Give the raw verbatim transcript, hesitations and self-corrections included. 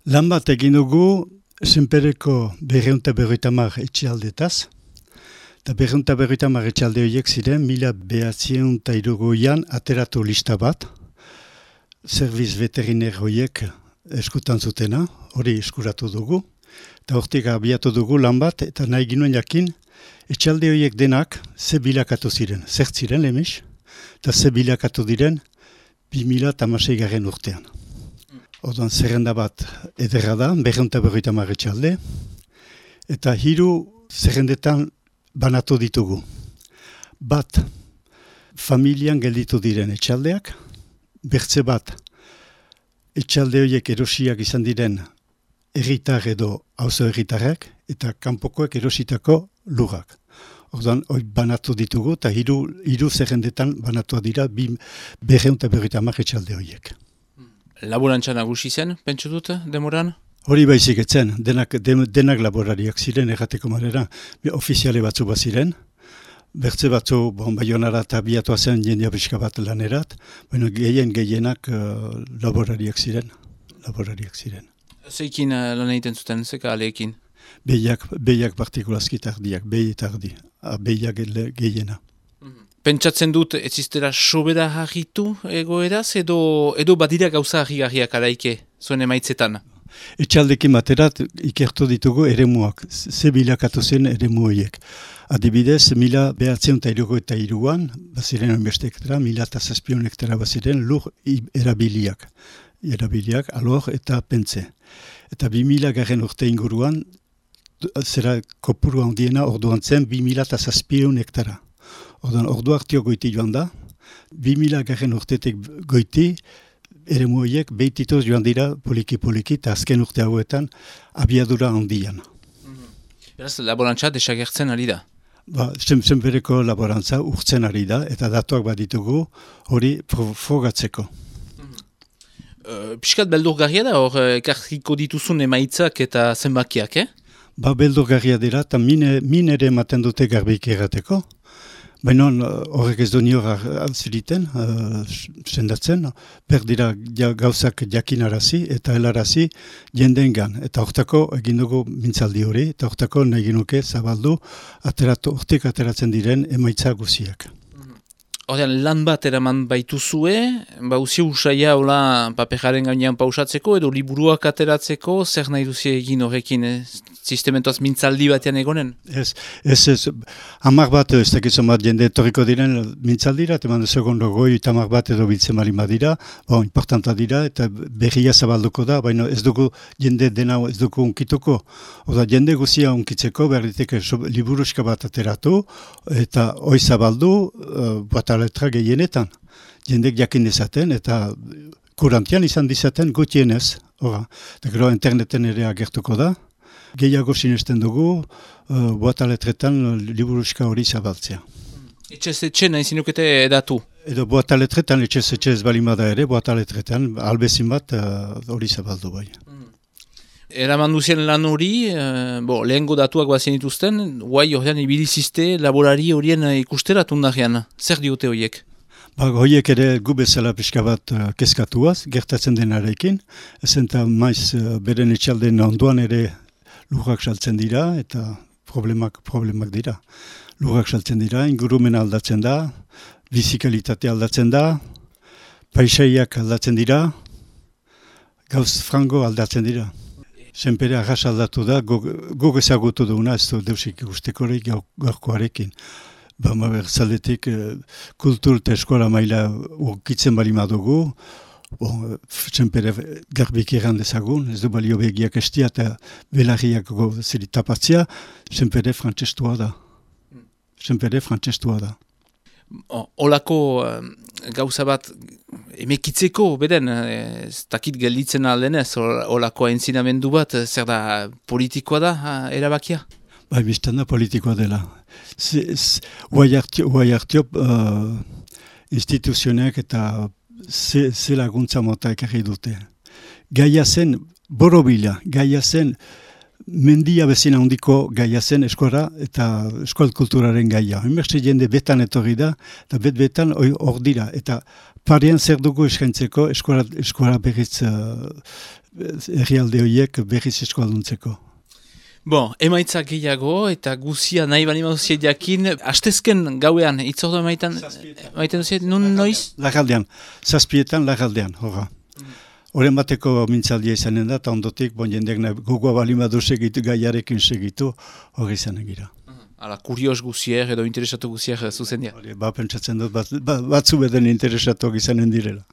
Lan bat egin dugu Senpereko berreunta berroita mar etxealdetaz, eta berreunta berroita mar etxealde horiek ziren mila behatziehun eta hirurogean ateratu lista bat, serviz veteriner horiek eskutan zutena, hori eskuratu dugu, eta hortik abiatu dugu lan bat, eta nahi ginuen jakin, etxealde horiek denak ze bilakatu ziren, zer ziren lemis, eta ze bilakatu diren bi mila hamasei garren urtean. Orduan zerrenda bat ederra da, berreunta berroita mar etxealde, eta hiru zerrendetan banatu ditugu. Bat, familian gelditu diren etxaldeak, bertze bat, etxalde horiek erosiak izan diren herritar edo auzo herritarrak, eta kanpokoek erositako lurrak. Orduan, hori banatu ditugu, eta hiru, hiru zerrendetan banatu dira bi berreunta berroita mar etxalde horiek. Laborantza nagusi zen, pentsu dut, demoran? Hori baizik etzen, denak, denak laborariak ziren errateko marera, ofiziale batzu bat ziren, bertze batzu bon, Baionara eta biatua zen jendea pixka bat lanerat, baina gehien gehienak uh, laborariak ziren, laborariak ziren. Zeikin uh, lan egiten zuten, zeka aleekin? Behiak, behiak partikulazki tardiak, behi tardi, behiak gehiena. Pentsatzen dut ez iztera sobera harritu egoeraz, edo, edo badira gauza harri-garriak araike, zuen emaitzetan? Etxaldekin baterat ikertu ditugu eremuak, ze bilakatu zen eremu horiek. Adibidez, mila behatzen eta hirurogeita hiruan, baziren onbeste hektara, mila eta zazpion hektara baziren lur erabiliak, erabiliak, alor eta pentze. Eta bi mila garren urte inguruan, zera kopuru handiena orduan zen bi mila eta zazpion hektara. Orduan, ordu hartio goiti joan da, bi mila garren urtetik goiti, eremu horiek behititoz joan dira poliki-poliki, eta azken urte hauetan abiadura handian. Beraz, laborantza desagertzen ari da? Ba, Senpereko laborantza urtzen ari da, eta datuak baditugu hori frogatzeko. Uh, Piskat beldurgarria da, hor ekarriko dituzun emaitzak eta zenbakiak, eh? Ba, beldurgarria dira, eta min, min ere ematen dute garbik errateko. Baina horrek ez du nior altziriten, uh, sendatzen, per dira ja, gauzak jakinarazi eta helarazi jendeengan. Eta hortako egin dugu mintzaldi hori, eta hortako nahi genuke zabaldu ateratu, hortik ateratzen diren emaitza guziak. Horrean, lan bat eraman baituzue, bauzi usaia hola paperaren gainean pausatzeko, edo liburuak ateratzeko, zer nahi duzi egin horrekin, eh? Sistementoaz mintzaldi batean egonen? Ez, ez, ez, hamar bat, ez dakizan bat jende etorriko diren mintzaldira, eta man segundo goi, eta hamar bat edo biltzen marima dira, bon, importanta dira, eta berria zabalduko da, baina ez dugu jende dena ez dugu unkituko. Oda, jende guzia unkitzeko, berriteke liburuska bat ateratu, eta hoi zabaldu, uh, bat aletra gehienetan. Jendek jakin dezaten, eta kurantian izan dizaten gutienez. Ora, eta gero interneten ere agertuko da. Gehiago sinesten dugu, uh, boataletretan liburuska hori zabaltzea. Etxez etxe nahi zinukete edatu? Edo boataletretan, etxez etxe ez balimada ere, boataletretan, albezin bat hori uh, zabaldu bai. Mm. Eraman duzien lan hori, uh, bo, lehengo datuak bazien dituzten, guai horrean ibilizizte laborari horien ikusteratun darean. Zer diote horiek? Ba, horiek ere gu bezala pixka bat uh, kezkatuaz, gertatzen denarekin, ezenta maiz uh, beren etxalden onduan ere lurrak saltzen dira, eta problemak, problemak dira. Lurrak saltzen dira, ingurumen aldatzen da, bizikalitate aldatzen da, paisaiak aldatzen dira, gauz frango aldatzen dira. Senpere arras aldatu da, guk ezagutu duguna, ez du deusik ikustekorik gaurkoarekin. Ba, maber, zaldetik kultur eta eskola maila urkitzen bali madugu, bon, Senpere garbik eran dezagun, ez du balio begiak estia eta belarriak zeri tapatzia, Senpere frantzestua da. Senpere frantzestua da. Olako uh, gauza bat emekitzeko, beden, ez dakit gelditzen aldenez, olako entzinamendu bat, zer da politikoa da, erabakia? Bai, biztan da politikoa dela. Huai hartio uh, instituzionek eta ze, ze laguntza mota ekarri dute. Gaia zen borobila, gaia zen mendia bezina handiko gaia zen eskola eta eskola kulturaren gaia. Inbertsi jende betan etorri da, eta bet-betan hor dira. Eta parean zer dugu eskaintzeko eskola, eskola berriz uh, herrialde horiek berriz eskualduntzeko. Bon, emaitza gehiago eta guzia nahi bali mauzia jakin, hastezken gauean, itzordu emaitan, maiten duziet, nun noiz? Lagaldean, zazpietan lagaldean, horra. Horren bateko mintzaldia izanen da, eta ondotik, bon jendeak gogoa balimadu segitu, gaiarekin segitu, hori izanen gira. Hala, kurios guzier edo interesatu guzier zuzen dira. Ba, pentsatzen dut, bat, batzu beden interesatuak izanen direla.